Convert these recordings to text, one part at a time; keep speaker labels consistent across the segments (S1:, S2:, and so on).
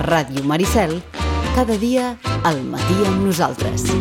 S1: Ràdio Maricel, cada dia al matí amb nosaltres.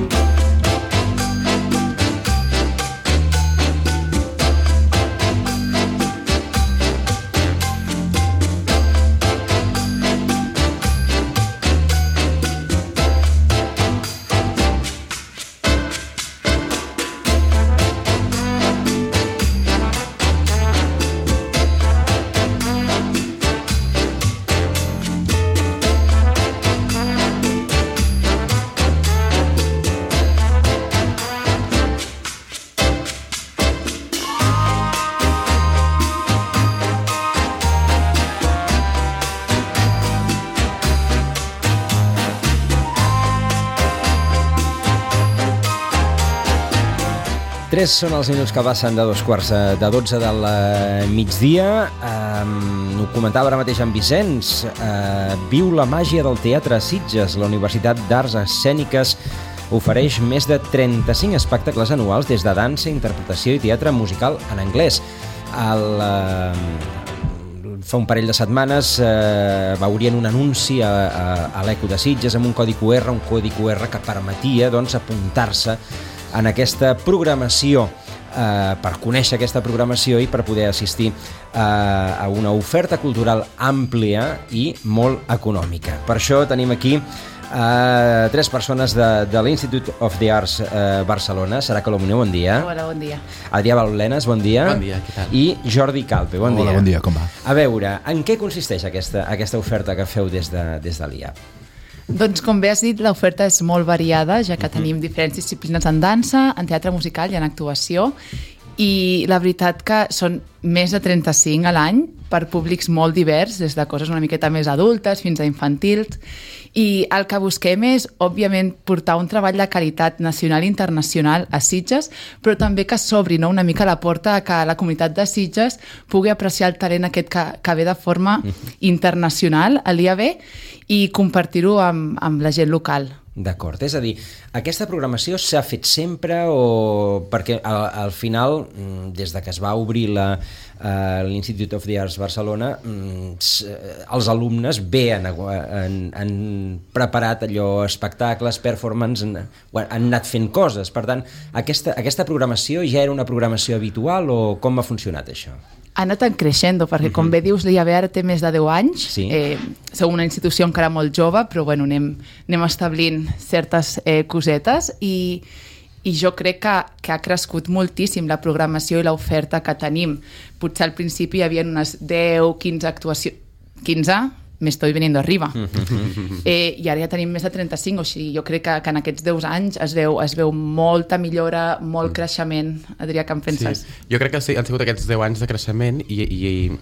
S2: Són els minuts que passen de 2:45 del migdia. Ho comentava ara mateix en Vicenç. Viu la màgia del teatre a Sitges. La Universitat d'Arts Escèniques ofereix més de 35 espectacles anuals des de dansa, interpretació i teatre musical en anglès. Fa un parell de setmanes veurien un anunci a l'Eco de Sitges amb un codi QR que permetia apuntar-se en aquesta programació, per conèixer aquesta programació i per poder assistir a una oferta cultural àmplia i molt econòmica. Per això tenim aquí tres persones de l'Institute of the Arts Barcelona. Sara Colomuné, bon dia.
S3: Hola, bon dia.
S2: Adrià Baulenes, bon dia.
S4: Bon dia, què tal?
S2: I Jordi Calpe, bon dia.
S4: Hola, bon dia, com va?
S2: A veure, en què consisteix aquesta oferta que feu des de l'IAB?
S3: Doncs com bé has dit, l'oferta és molt variada, ja que tenim diferents disciplines en dansa, en teatre musical i en actuació, i la veritat que són més de 35 a l'any per públics molt divers, des de coses una miqueta més adultes fins a infantils, i el que busquem és, òbviament, portar un treball de qualitat nacional i internacional a Sitges, però també que s'obri una mica la porta a que la comunitat de Sitges pugui apreciar el talent aquest que ve de forma internacional a l'IAB i compartir-ho amb la gent local.
S2: D'acord, és a dir, aquesta programació s'ha fet sempre o perquè al final, des de que es va obrir l'Institute of the Arts Barcelona, els alumnes han preparat allò, espectacles, performance, han anat fent coses. Per tant, aquesta programació ja era una programació habitual o com ha funcionat això?
S3: Ha anat creixent, perquè com bé dius, l'IAB ara té més de 10 anys.
S2: Sí.
S3: Som una institució encara molt jove, però bueno, anem establint certes cosetes i jo crec que ha crescut moltíssim la programació i l'oferta que tenim. Potser al principi hi havia unes 10-15 actuacions... 15? Me estoy veniendo arriba. I ara ja tenim més de 35, o sigui, jo crec que en aquests 10 anys es veu molta millora, molt creixement. Adrià, què en penses?
S4: Sí. Jo crec que sí, han sigut aquests 10 anys de creixement i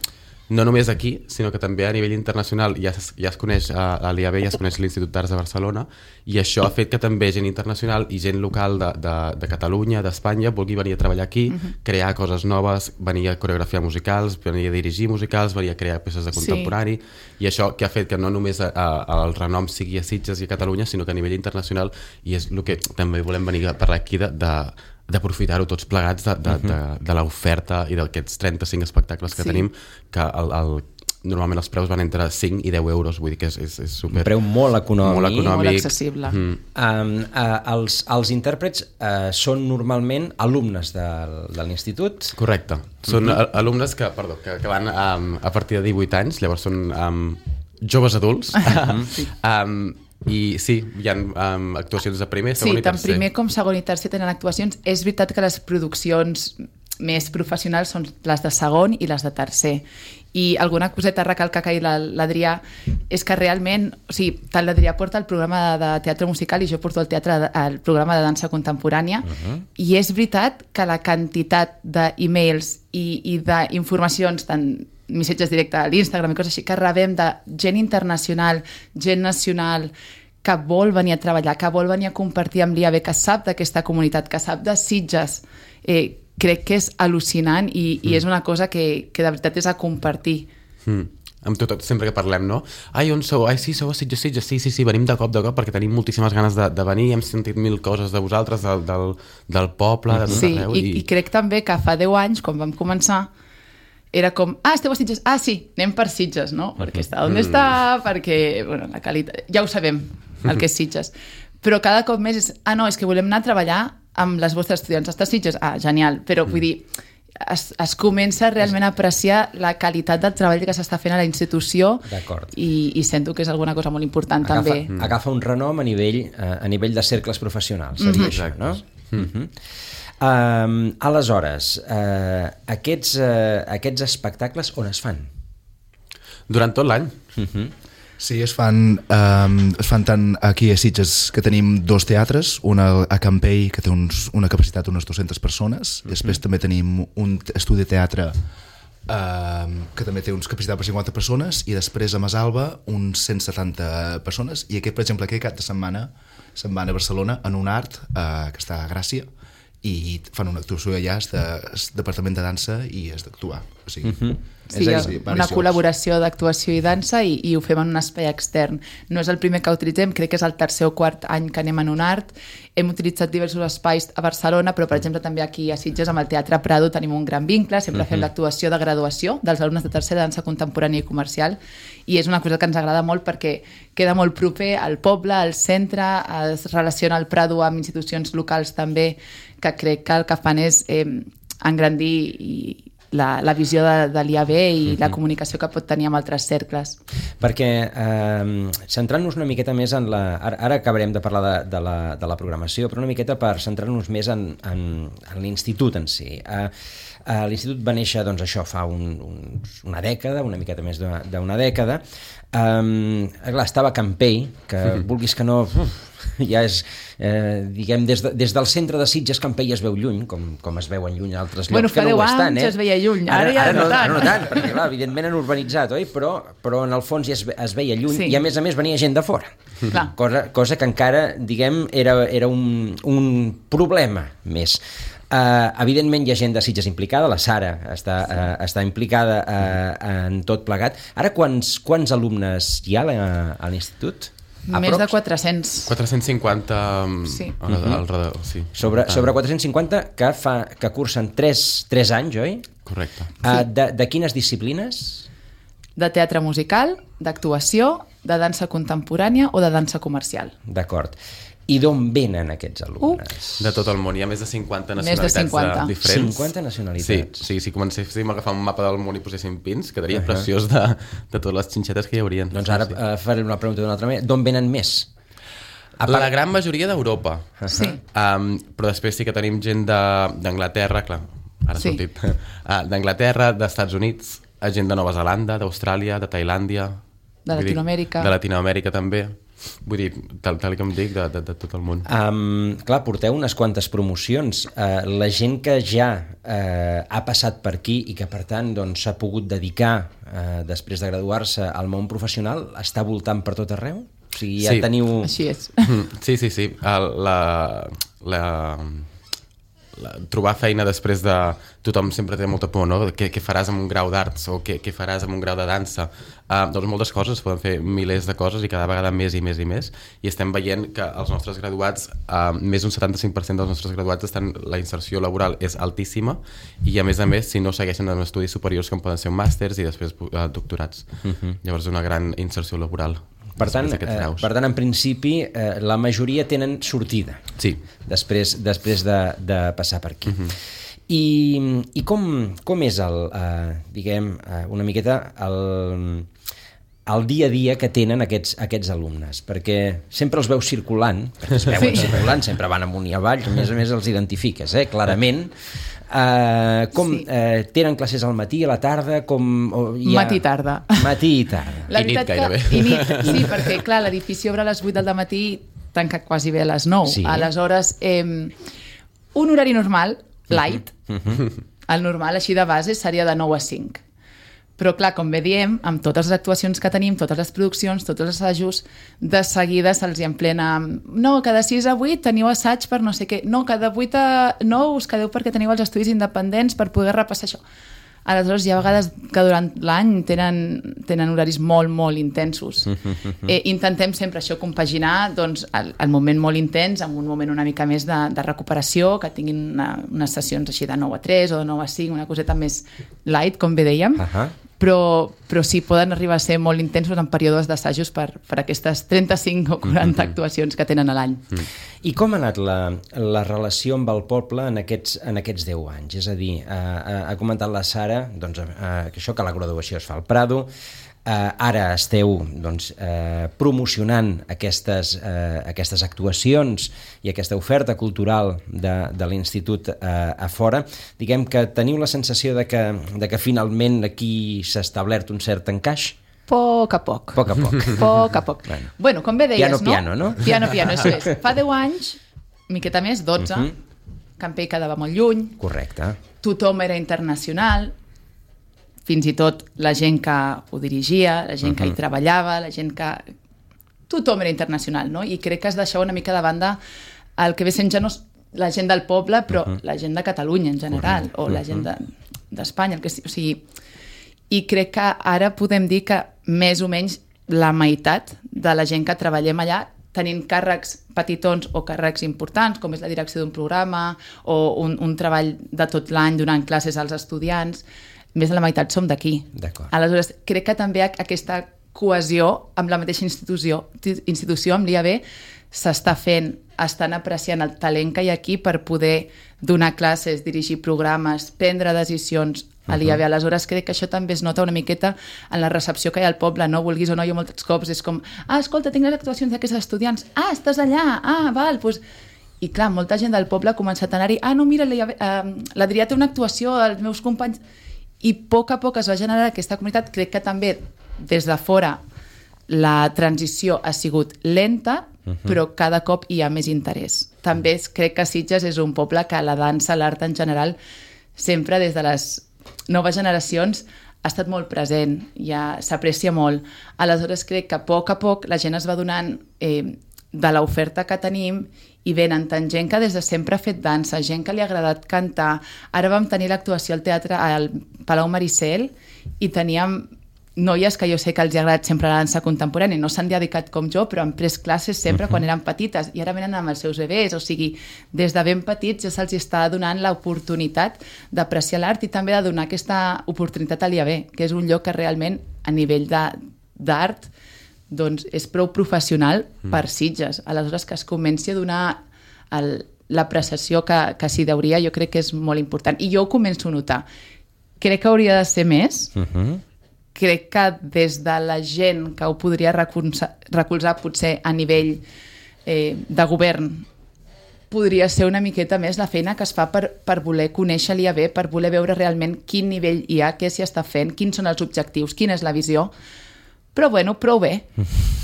S4: no només aquí, sinó que també a nivell internacional ja es coneix a l'IAB, ja es coneix l'Institut d'Arts de Barcelona, i això ha fet que també gent internacional i gent local de Catalunya, d'Espanya, vulgui venir a treballar aquí, crear coses noves, venir a coreografiar musicals, venir a dirigir musicals, venir a crear peces de contemporani, i això que ha fet que no només el renom sigui a Sitges i a Catalunya, sinó que a nivell internacional, i és el que també volem venir a parlar aquí d'aprofitar-ho tots plegats de l'oferta i d'aquests 35 espectacles que tenim, que normalment els preus van entre 5 i 10 euros, vull dir que és super...
S2: Un preu molt econòmic.
S3: Molt accessible.
S2: Els intèrprets són normalment alumnes de l'institut?
S4: Correcte. Són alumnes que van a partir de 18 anys, llavors són joves adults, i sí, hi ha actuacions de primer, segon i tercer.
S3: Sí, tant primer com segon i tercer tenen actuacions. És veritat que les produccions més professionals són les de segon i les de tercer. I alguna coseta a recalcar que l'Adrià és que realment, o sigui, tant l'Adrià porta el programa de teatre musical i jo porto el programa de dansa contemporània, i és veritat que la quantitat d'e-mails i d'informacions, tant missatges directes a l'Instagram i coses així, que rebem de gent internacional, gent nacional, que vol venir a treballar, que vol venir a compartir amb l'IAB, que sap d'aquesta comunitat, que sap de Sitges, crec que és al·lucinant i és una cosa que de veritat és a compartir.
S4: Amb tot, sempre que parlem, no? Ai, on sou? Ai, sí, sou a Sitges. Sí, venim de cop, perquè tenim moltíssimes ganes de venir, hem sentit mil coses de vosaltres, del poble, de tot arreu.
S3: I crec també que fa 10 anys, quan vam començar, era com, esteu a Sitges? Sí, anem per Sitges, no? Perquè està on està, perquè, bueno, la qualitat... Ja ho sabem, el que és Sitges. Però cada cop més és, no, és que volem anar a treballar amb les vostres estudiants. Està a Sitges? Genial. Però vull dir, es comença realment a apreciar la qualitat del treball que s'està fent a la institució i sento que és alguna cosa molt important també.
S2: Agafa un renom a nivell de cercles professionals, seria això, no? Aleshores, aquests espectacles on es fan?
S4: Durant tot l'any.
S5: Sí, es fan tant aquí a Sitges, que tenim 2 teatres, un a Campell, que té una capacitat d'unes 200 persones, i després també tenim un estudi de teatre que també té una capacitat per 50 persones, i després a Masalba uns 170 persones, i aquest, per exemple, aquest cap de setmana se'n van a Barcelona en un art que està a Gràcia, i fan una actuació allà, el departament de dansa, i és d'actuar. O sigui,
S3: una col·laboració d'actuació i dansa, i ho fem en un espai extern. No és el primer que utilitzem, crec que és el 3è o 4è any que anem en un art. Hem utilitzat diversos espais a Barcelona, però per exemple també aquí a Sitges amb el Teatre Prado tenim un gran vincle, sempre fem l'actuació de graduació dels alumnes de 3è de dansa contemporània i comercial, i és una cosa que ens agrada molt perquè queda molt proper al poble, al centre, es relaciona el Prado amb institucions locals també, que crec que el que fan és engrandir la visió de l'IAB i la comunicació que pot tenir amb altres cercles.
S2: Perquè, centrant-nos una miqueta més en ara acabarem de parlar de la programació, però una miqueta per centrar-nos més en l'institut en si. L'institut va néixer, doncs això, fa una dècada, una miqueta més d'una dècada. Estava a Campell, que vulguis que no... ja és, diguem, des del centre de Sitges Campell es veu lluny, com es veuen lluny altres llocs que no ho estan.
S3: Fa 10 anys es veia lluny, ara
S2: no tant, perquè clar, evidentment han urbanitzat, oi? Però en el fons ja es veia lluny, i a més venia gent de fora. Cosa que encara, diguem, era un problema més. Evidentment hi ha gent de Sitges implicada, la Sara està implicada en tot plegat. Ara quants alumnes hi ha a l'institut?
S3: Més de 400.
S4: 450 al redador, sí.
S2: Sobre 450 que cursen 3 anys, oi?
S4: Correcte.
S2: De quines disciplines?
S3: De teatre musical, d'actuació, de dansa contemporània o de dansa comercial.
S2: D'acord. I d'on venen aquests alumnes?
S4: De tot el món, hi ha més de 50 nacionalitats diferents.
S2: 50 nacionalitats?
S4: Sí, si comencéssim a agafar un mapa del món i poséssim pins, quedaria preciós de totes les xinxetes que hi haurien.
S2: Doncs ara faré una pregunta d'una altra manera. D'on venen més?
S4: La gran majoria d'Europa.
S3: Sí.
S4: Però després sí que tenim gent d'Anglaterra, clar, ara ha sortit, d'Anglaterra, d'Estats Units, gent de Nova Zelanda, d'Austràlia, de Tailàndia...
S3: De Latinoamèrica.
S4: De Latinoamèrica també. Vull dir, tal com dic, de tot el món.
S2: Clar, porteu unes quantes promocions. La gent que ja ha passat per aquí i que, per tant, s'ha pogut dedicar, després de graduar-se, al món professional, està voltant per tot arreu? O sigui, ja teniu...
S3: Així és.
S4: Sí. Trobar feina després de... Tothom sempre té molta por, no? Què faràs amb un grau d'arts o què faràs amb un grau de dansa? Doncs moltes coses, poden fer milers de coses i cada vegada més i més i més, i estem veient que els nostres graduats, més d'un 75% dels nostres graduats la inserció laboral és altíssima, i a més, si no segueixen en estudis superiors com poden ser màsters i després doctorats. Llavors una gran inserció laboral.
S2: Per tant, en principi, la majoria tenen sortida.
S4: Sí.
S2: Després de passar per aquí. I com és diguem, una miqueta el dia a dia que tenen aquests alumnes? Perquè sempre els veus circulant, perquè es veuen circulant, sempre van amunt i avall, a més els identifiques, clarament. Tenen classes al matí, a la tarda,
S3: matí i tarda.
S2: Matí i tarda.
S4: I nit gairebé.
S3: Sí, perquè clar, l'edifici obre a les 8 del matí, tanca quasi bé a les 9.
S2: Sí.
S3: Aleshores, un horari normal, light, el normal així de base seria de 9 a 5. Però clar, com bé diem, amb totes les actuacions que tenim, totes les produccions, tots els assajos, de seguida se'ls hi emplena no, cada 6 a 8 teniu assaig per no sé què, no, cada 8 a 9 us quedeu perquè teniu els estudis independents per poder repassar això. Aleshores, hi ha vegades que durant l'any tenen horaris molt, molt intensos. Intentem sempre això compaginar doncs, el moment molt intens amb un moment una mica més de recuperació, que tinguin unes sessions així de 9 a 3 o de 9 a 5, una coseta més light, com bé dèiem, però sí, poden arribar a ser molt intensos en períodes d'assajos per aquestes 35 o 40 actuacions que tenen a l'any.
S2: I com ha anat la relació amb el poble en aquests 10 anys? És a dir, ha comentat la Sara doncs, que la graduació es fa al Prado, ara esteu doncs, promocionant aquestes actuacions i aquesta oferta cultural de l'Institut a fora. Diguem que teniu la sensació de que finalment aquí s'ha establert un cert encaix?
S3: Poc a poc. Bueno, com bé deies,
S2: piano, no?
S3: Piano, això és. Fa 10 anys, miqueta més, 12, Campell quedava molt lluny.
S2: Correcte.
S3: Tothom era internacional, fins i tot la gent que ho dirigia, la gent que hi treballava, la gent que... Tothom era internacional, no? I crec que es deixava una mica de banda el que ve sent ja no la gent del poble, però la gent de Catalunya en general, o la gent d'Espanya, o sigui... I crec que ara podem dir que més o menys la meitat de la gent que treballem allà tenint càrrecs petitons o càrrecs importants, com és la direcció d'un programa o un treball de tot l'any donant classes als estudiants, més de la meitat som d'aquí. Aleshores, crec que també aquesta cohesió amb la mateixa institució amb l'IAB s'està fent, estan apreciant el talent que hi ha aquí per poder donar classes, dirigir programes, prendre decisions a l'IAB. Aleshores, crec que això també es nota una miqueta en la recepció que hi ha al poble, no? Vulguis o no, jo molts cops és com, escolta, tinc les actuacions d'aquests estudiants, estàs allà, val, doncs... I clar, molta gent del poble ha començat a anar-hi, no, mira, l'Adrià té una actuació, els meus companys... I a poc es va generar aquesta comunitat. Crec que també des de fora la transició ha sigut lenta, però cada cop hi ha més interès. També crec que Sitges és un poble que la dansa, l'art en general, sempre des de les noves generacions ha estat molt present, ja s'aprecia molt. Aleshores crec que a poc la gent es va donant de l'oferta que tenim i venen tant gent que des de sempre ha fet dansa, gent que li ha agradat cantar. Ara vam tenir l'actuació al teatre al Palau Maricel i teníem noies que jo sé que els ha agradat sempre la dansa contemporània, no s'han dedicat com jo, però han pres classes sempre quan eren petites i ara venen amb els seus bebès, o sigui, des de ben petits ja se'ls està donant l'oportunitat d'apreciar l'art i també de donar aquesta oportunitat a l'IAB, que és un lloc que realment a nivell d'art doncs és prou professional per Sitges. Aleshores, que es comenci a donar l'apreciació que s'hi deuria, jo crec que és molt important. I jo ho començo a notar. Crec que hauria de ser més. Crec que des de la gent que ho podria recolzar potser a nivell de govern podria ser una miqueta més la feina que es fa per voler conèixer l'IAB, per voler veure realment quin nivell hi ha, què s'hi està fent, quins són els objectius, quina és la visió. Però bueno, prou bé.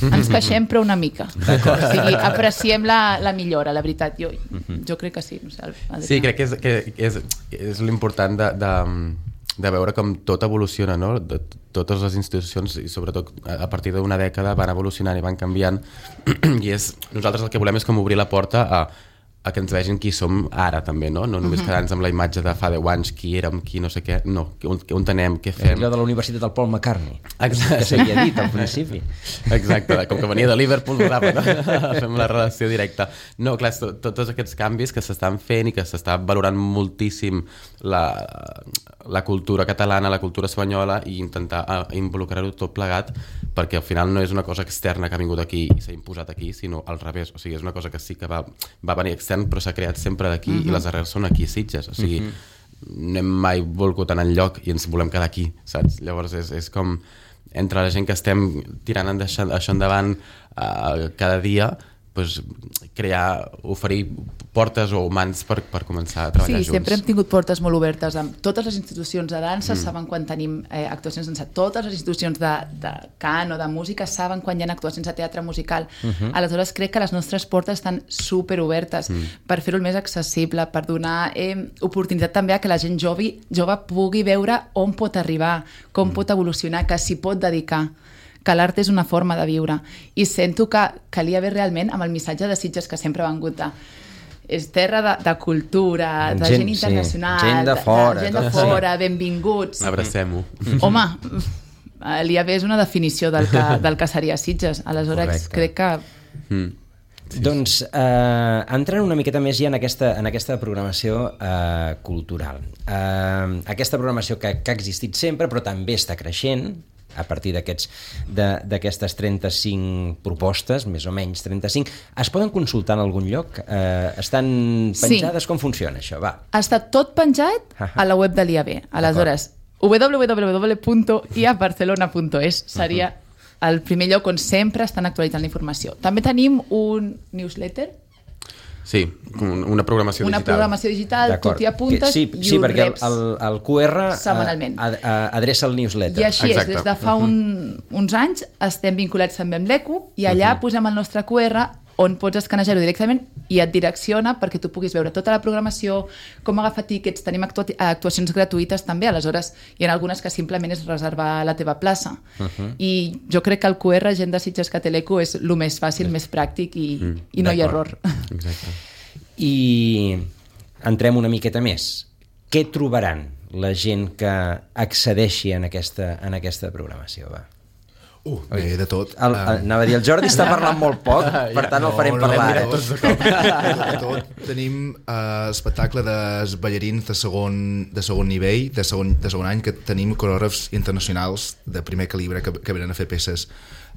S3: Ens queixem però una mica. O sigui, apreciem la millora, la veritat. Jo crec que sí. No sé,
S4: sí, crec que és l'important de veure com tot evoluciona, no? Totes les institucions, i sobretot a partir d'una dècada, van evolucionant i van canviant. I nosaltres el que volem és com obrir la porta a que ens vegin qui som ara també, no? No només quedar-nos amb la imatge de fa 10 anys, qui érem, qui no sé què, no, on anem, què fem.
S2: Allò de la Universitat del Paul McCartney,
S4: exacte,
S2: que s'havia dit al principi.
S4: Exacte, com que venia de Liverpool, no? Fem la relació directa. No, clar, tots aquests canvis que s'estan fent i que s'està valorant moltíssim la cultura catalana, la cultura espanyola i intentar involucrar-ho tot plegat, perquè al final no és una cosa externa que ha vingut aquí i s'ha imposat aquí, sinó al revés, o sigui, és una cosa que sí que va venir extern però s'ha creat sempre d'aquí i les arrels són aquí a Sitges, o sigui no hem mai volgut anar enlloc i ens volem quedar aquí, saps? Llavors és com entre la gent que estem tirant això endavant cada dia, doncs oferir portes o mans per començar a treballar junts.
S3: Sí, sempre hem tingut portes molt obertes amb totes les institucions de dansa, saben quan tenim actuacions de dansa, totes les institucions de cant o de música saben quan hi ha actuacions de teatre musical. Aleshores crec que les nostres portes estan superobertes per fer-ho el més accessible, per donar oportunitat també a que la gent jove pugui veure on pot arribar, com pot evolucionar, que s'hi pot dedicar, que l'art és una forma de viure. I sento que calia haver realment, amb el missatge de Sitges que sempre ha vengut de és terra de cultura, de gent internacional,
S2: gent de fora,
S3: benvinguts.
S4: Abracem-ho.
S3: Home, l'IAB és una definició del que seria Sitges, aleshores crec que...
S2: Doncs entrant una miqueta més ja en aquesta programació cultural. Aquesta programació que ha existit sempre però també està creixent a partir d'aquestes 35 propostes, més o menys 35, es poden consultar en algun lloc? Estan penjades? Com funciona això? Va.
S3: Està tot penjat a la web de l'IAB. Aleshores, www.iabarcelona.es seria el primer lloc on sempre estan actualitzant la informació. També tenim un newsletter.
S4: Sí, una programació digital.
S3: Una programació digital, tu t'hi apuntes i ho
S2: perquè
S3: reps.
S2: el QR
S3: setmanalment.
S2: Adreça el newsletter.
S3: I així és, des de fa uns anys estem vinculats també amb l'ECO i allà posem el nostre QR on pots escanejar-ho directament i et direcciona perquè tu puguis veure tota la programació, com agafar tíquets, tenim actuacions gratuïtes també, aleshores hi ha algunes que simplement és reservar la teva plaça. I jo crec que el QR, gent de Sitges que té l'ECO, és el més fàcil, més pràctic i no hi ha error.
S4: Exacte.
S2: I entrem una miqueta més. Què trobaran la gent que accedeixi en aquesta programació? Va.
S5: Bé, de tot.
S2: Anava a dir, el Jordi està parlant molt poc, per tant el farem parlar.
S5: De tot. Tenim espectacle dels ballarins de segon nivell, de segon any, que tenim coreògrafs internacionals de primer calibre que venen a fer peces.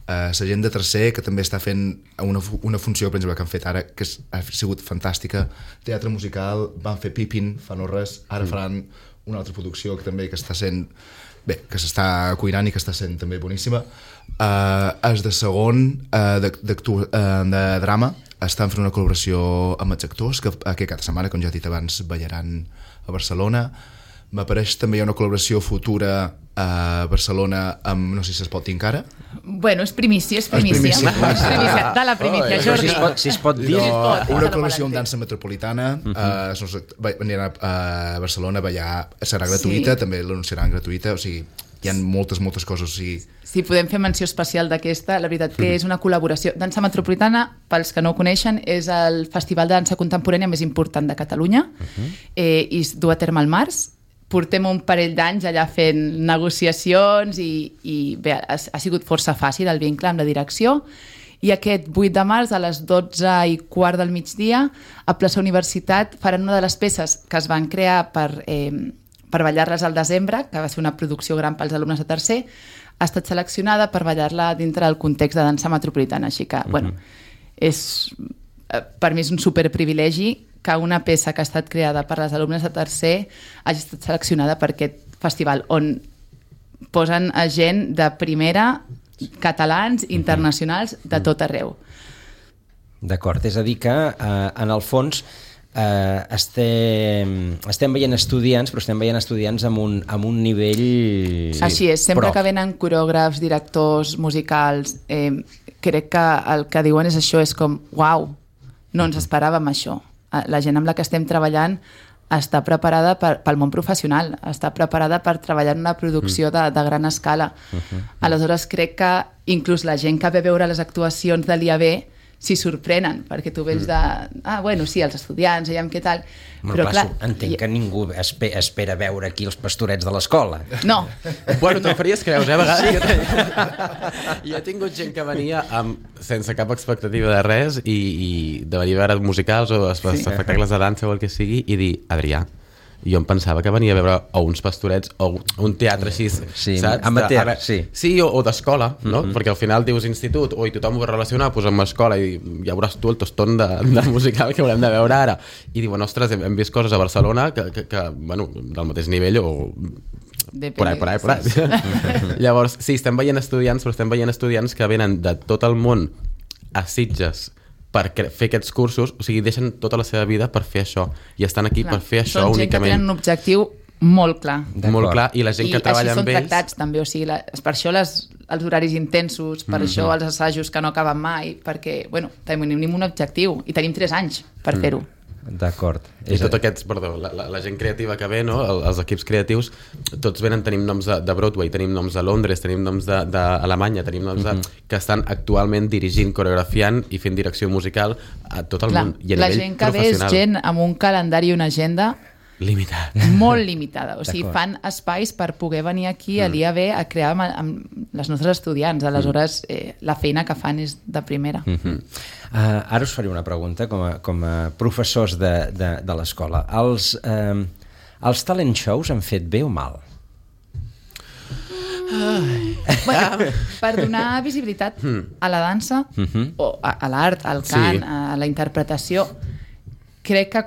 S5: La gent de tercer, que també està fent una funció, per exemple, que han fet ara, que ha sigut fantàstica, teatre musical, van fer Pippin fa no res, ara faran una altra producció que també que està sent... Bé, que s'està cuinant i que està sent també boníssima. Els de segon de drama estan fent una col·laboració amb els actors que cada setmana, com ja he dit abans, ballaran a Barcelona. M'apareix també hi ha una col·laboració futura a Barcelona amb, no sé si es pot dir encara.
S3: Bueno, és primícia. És primícia. De la primícia, Jordi.
S2: Si es pot dir.
S5: Una col·laboració amb dansa metropolitana, aniran a Barcelona a ballar, serà gratuïta, també l'anunciaran gratuïta, o sigui, hi ha moltes coses. O sigui...
S3: Si podem fer menció especial d'aquesta, la veritat que és una col·laboració. Dansa Metropolitana, pels que no ho coneixen, és el festival de dansa contemporània més important de Catalunya i es du a terme al març. Portem un parell d'anys allà fent negociacions i bé, ha sigut força fàcil el vincle amb la direcció i aquest 8 de març a les 12:15 del migdia a Plaça Universitat faran una de les peces que es van crear per ballar-les al desembre, que va ser una producció gran pels alumnes de tercer, ha estat seleccionada per ballar-la dintre del context de dansa metropolitana, així que, bueno, per mi és un superprivilegi que una peça que ha estat creada per les alumnes de tercer hagi estat seleccionada per aquest festival, on posen a gent de primera, catalans, internacionals, de tot arreu.
S2: D'acord, és a dir que, en el fons, estem veient estudiants, però estem veient estudiants amb un nivell...
S3: Així és, sempre que venen coreògrafs, directors, musicals, crec que el que diuen és això, és com, uau, no ens esperàvem això. La gent amb la que estem treballant està preparada pel món professional, està preparada per treballar en una producció de gran escala. Aleshores crec que inclús la gent que ve a veure les actuacions de l'IAB s'hi sorprenen, perquè tu vens de... bueno, sí, els estudiants, veiem què tal...
S2: Però clar, entenc que ningú espera veure aquí els pastorets de l'escola.
S3: No.
S4: Bueno, te'n faries creus, a vegades. Jo he tingut gent que venia sense cap expectativa de res i de venir a veure musicals o espectacles de dansa o el que sigui i dir, Adrià, jo em pensava que venia a veure o uns pastorets o un teatre així, saps?
S2: Amateur, sí.
S4: Sí, o d'escola, no? Perquè al final dius institut, i tothom ho va relacionar, doncs amb escola, i ja veuràs tu el toston de musical que haurem de veure ara. I diuen, ostres, hem vist coses a Barcelona que bueno, del mateix nivell o... Por ahí. Llavors, sí, estem veient estudiants, però estem veient estudiants que venen de tot el món a Sitges per fer aquests cursos, o sigui, deixen tota la seva vida per fer això, i estan aquí per fer això únicament.
S3: Són gent que tenen un objectiu molt clar.
S4: Molt clar, i la gent que treballa amb ells...
S3: I així són tractats també, o sigui, per això els horaris intensos, per això els assajos que no acaben mai, perquè, bueno, tenim un objectiu, i tenim 3 anys per fer-ho.
S2: D'acord.
S4: I tot aquests, la gent creativa que ve, no? Els equips creatius, tots tenim noms de Broadway, tenim noms de Londres, tenim noms d'Alemanya, tenim noms que estan actualment dirigint, coreografiant i fent direcció musical a tot el món. I a
S3: la
S4: nivell
S3: gent que ve és gent amb un calendari i una agenda
S4: limitat.
S3: Molt limitada. O sigui, fan espais per poder venir aquí a l'IAB a crear amb les nostres estudiants. Aleshores, la feina que fan és de primera.
S2: Ara us faré una pregunta com a professors de l'escola. Els talent shows han fet bé o mal?
S3: Bueno, per donar visibilitat a la dansa, o a l'art, al cant, a la interpretació, crec que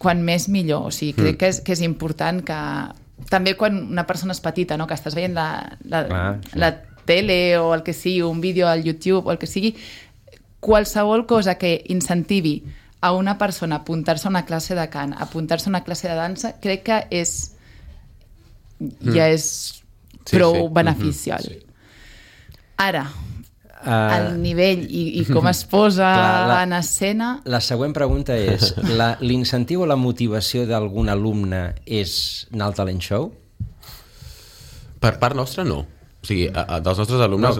S3: quan més millor. O sigui, crec que és important que... També quan una persona és petita, no? Que estàs veient la tele o el que sigui, un vídeo al YouTube o el que sigui, qualsevol cosa que incentivi a una persona a apuntar-se a una classe de cant, a apuntar-se a una classe de dansa, crec que ja és prou beneficial. Ara, el nivell i com es posa en escena...
S2: La següent pregunta és, l'incentiu o la motivació d'algun alumne és anar al talent show?
S4: Per part nostra, no. O sigui, dels nostres alumnes...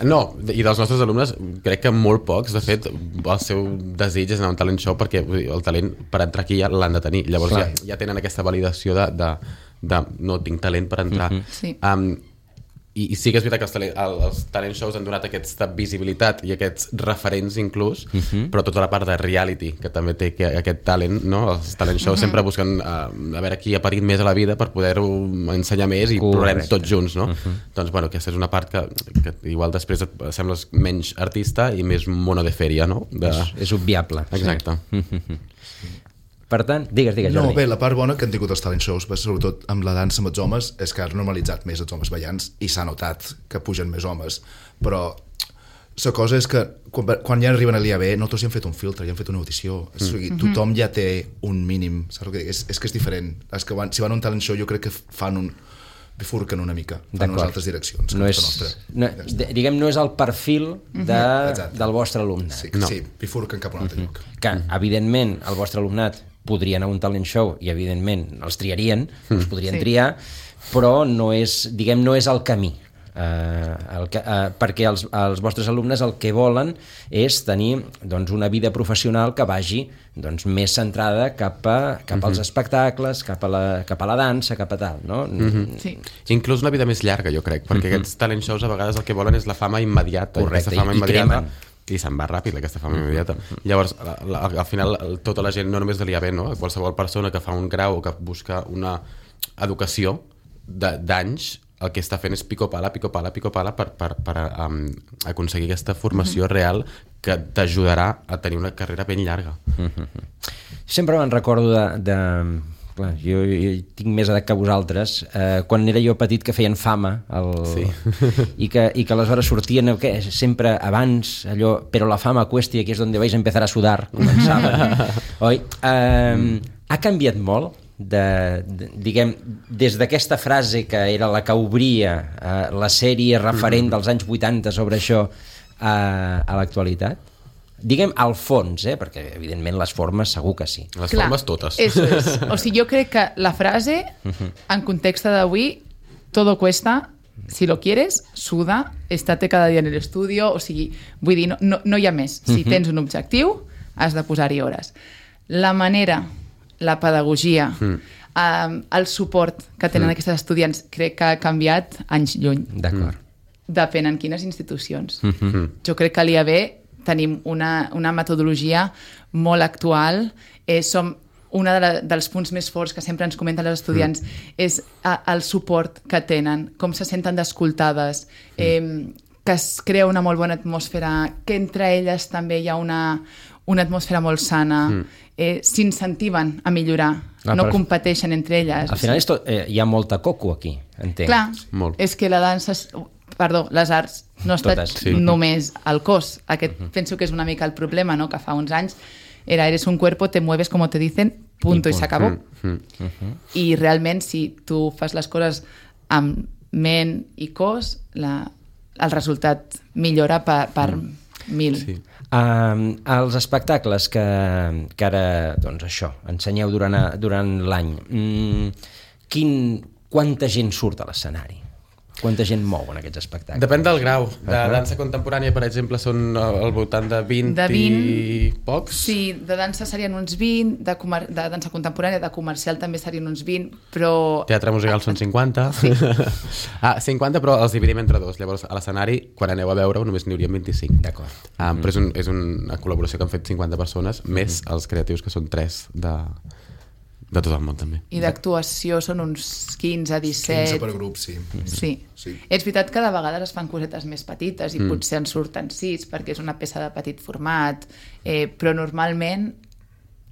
S2: No,
S4: i dels nostres alumnes crec que molt pocs, de fet, el seu desig és anar a un talent show perquè el talent per entrar aquí ja l'han de tenir. Llavors ja tenen aquesta validació de no tinc talent per entrar.
S3: Sí.
S4: I sí que és veritat que els talent shows han donat aquesta visibilitat i aquests referents inclús, però tota la part de reality que també té aquest talent, no? Els talent shows sempre busquen a veure qui ha parit més a la vida per poder-ho ensenyar més i plorem tots junts, no? Doncs bueno, aquesta és una part que igual després et sembles menys artista i més mono de fèria, no?
S2: És obviable.
S4: Exacte.
S2: Per tant, digues, Jordi.
S5: No, bé, la part bona que han tingut els talent shows, sobretot amb la dansa amb els homes, és que ha normalitzat més els homes ballants i s'ha notat que pugen més homes. Però la cosa és que quan ja arriben a l'IAB nosaltres ja hem fet un filtre, ja hem fet una audició. O sigui, tothom ja té un mínim. Saps el que dic? És que és diferent. És que si van a un talent show jo crec que fan bifurquen una mica, fan unes altres direccions.
S2: Diguem, no és el perfil del vostre alumnat.
S5: Sí, bifurquen cap a un altre lloc.
S2: Que, evidentment, el vostre alumnat podria anar a un talent show i, evidentment, els triarien, els podrien triar, però no és el camí. Perquè els vostres alumnes el que volen és tenir una vida professional que vagi més centrada cap als espectacles, cap a la dansa, cap a tal, no?
S3: Sí.
S4: Inclús una vida més llarga, jo crec, perquè aquests talent shows a vegades el que volen és la fama immediata.
S2: Correcte,
S4: i
S2: cremen.
S4: I se'n va ràpid aquesta fama immediata. Llavors, al final, tota la gent, no només de l'IAB, no? Qualsevol persona que fa un grau o que busca una educació d'anys, el que està fent és pico-pala per aconseguir aquesta formació real que t'ajudarà a tenir una carrera ben llarga.
S2: Sempre me'n recordo clar, jo tinc més edat que vosaltres, quan era jo petit que feien fama i que aleshores sortien sempre abans allò, però la fama cuesta y aquí és on vais a empezar a sudar, començaven. Oi? Ha canviat molt diguem, des d'aquesta frase que era la que obria la sèrie referent dels anys 80 sobre això a l'actualitat? Diguem al fons, perquè evidentment les formes segur que sí.
S4: Les formes totes.
S3: Eso es. O sigui, jo crec que la frase, en context d'avui, todo cuesta, si lo quieres, suda, estate cada dia en el estudio, o sigui, vull dir, no hi ha més. Si tens un objectiu, has de posar-hi hores. La manera, la pedagogia, el suport que tenen aquests estudiants, crec que ha canviat anys lluny.
S2: D'acord.
S3: Depèn en quines institucions. Jo crec que a l'IAB tenim una metodologia molt actual. Som un dels punts més forts que sempre ens comenten els estudiants és el suport que tenen, com se senten d'escoltades, que es crea una molt bona atmosfera, que entre elles també hi ha una atmosfera molt sana, s'incentiven a millorar, no competeixen entre elles.
S2: Al final hi ha molta coco aquí, entenc.
S3: Clar, és que la dansa... les arts no estan només al cos. Aquest penso que és una mica el problema, no? Que fa uns anys eres un cuerpo, te mueves como te dicen, punto, i s'acabó. I realment, si tu fas les coses amb ment i cos, el resultat millora per 1.000.
S4: Sí.
S2: Els espectacles que ara, doncs això, ensenyeu durant l'any, quanta gent surt a l'escenari? Quanta gent mou en aquests espectacles?
S4: Depèn del grau. De dansa contemporània, per exemple, són al voltant de 20 i pocs.
S3: Sí, de dansa serien uns 20, de dansa contemporània, de comercial també serien uns 20, però...
S4: Teatre musical són 50.
S3: Sí.
S4: 50, però els dividim entre dos. Llavors, a l'escenari, quan aneu a veure-ho, només n'hi haurien 25.
S2: D'acord.
S4: Però és una col·laboració que han fet 50 persones, més els creatius, que són 3 de tot el món, també.
S3: I d'actuació són uns 15, 17...
S5: 15 per grup, sí.
S3: Sí. És veritat que de vegades es fan cosetes més petites i potser en surten 6 perquè és una peça de petit format, però normalment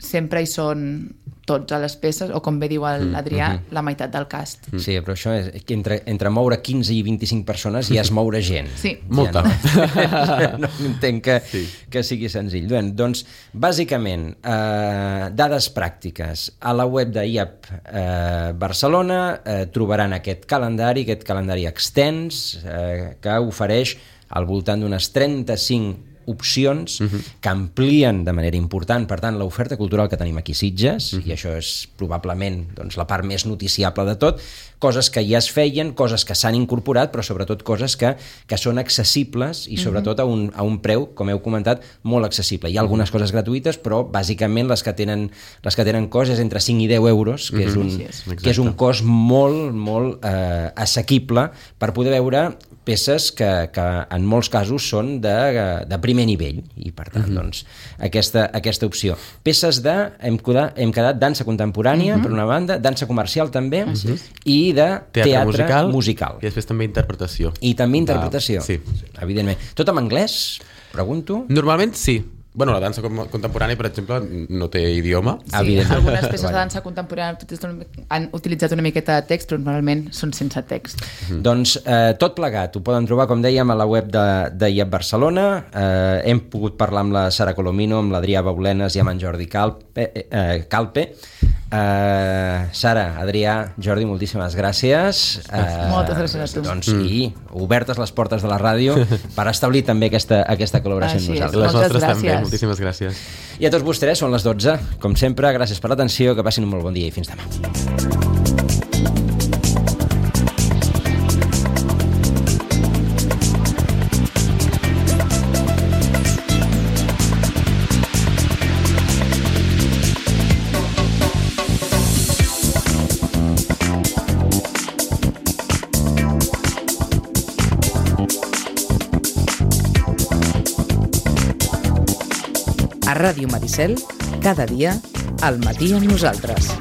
S3: sempre hi són tots a les peces, o com bé diu l'Adrià, la meitat del cast.
S2: Sí, però això és que entre moure 15 i 25 persones ja és moure gent.
S3: Sí.
S4: Molta.
S2: No entenc que sigui senzill. Bé, doncs, bàsicament, dades pràctiques. A la web de IAP Barcelona trobaran aquest calendari extens que ofereix al voltant d'unes 35 opcions que amplien de manera important, per tant, l'oferta cultural que tenim aquí a Sitges, i això és probablement doncs, la part més noticiable de tot, coses que ja es feien, coses que s'han incorporat, però sobretot coses que són accessibles i sobretot a un preu, com heu comentat, molt accessible. Hi ha algunes coses gratuïtes, però bàsicament les que tenen cost és entre 5 i 10 euros, que és un cost molt, molt assequible per poder veure peces que en molts casos són de primer nivell, i per tant, doncs, aquesta opció. Peces hem quedat dansa contemporània, per una banda, dansa comercial també, i de teatre musical.
S4: I després també interpretació.
S2: I també interpretació,
S4: sí.
S2: Evidentment. Tot en anglès, pregunto?
S4: Normalment sí. Bueno, la dansa contemporània, per exemple, no té idioma.
S3: Sí, algunes peces de dansa contemporània han utilitzat una miqueta de text, però normalment són sense text.
S2: Doncs tot plegat, ho poden trobar, com dèiem, a la web de IAP Barcelona. Hem pogut parlar amb la Sara Colomino, amb l'Adrià Baulenes i amb en Jordi Calpe. Sara, Adrià, Jordi, moltíssimes gràcies.
S3: Moltes gràcies a tu.
S2: Doncs, i obertes les portes de la ràdio per establir també aquesta col·laboració amb nosaltres.
S4: Les nostres també, moltíssimes gràcies.
S2: I a tots vostès, són les 12, com sempre, gràcies per l'atenció, que passin un molt bon dia i fins demà.
S1: A Ràdio Maricel, cada dia, al matí amb nosaltres.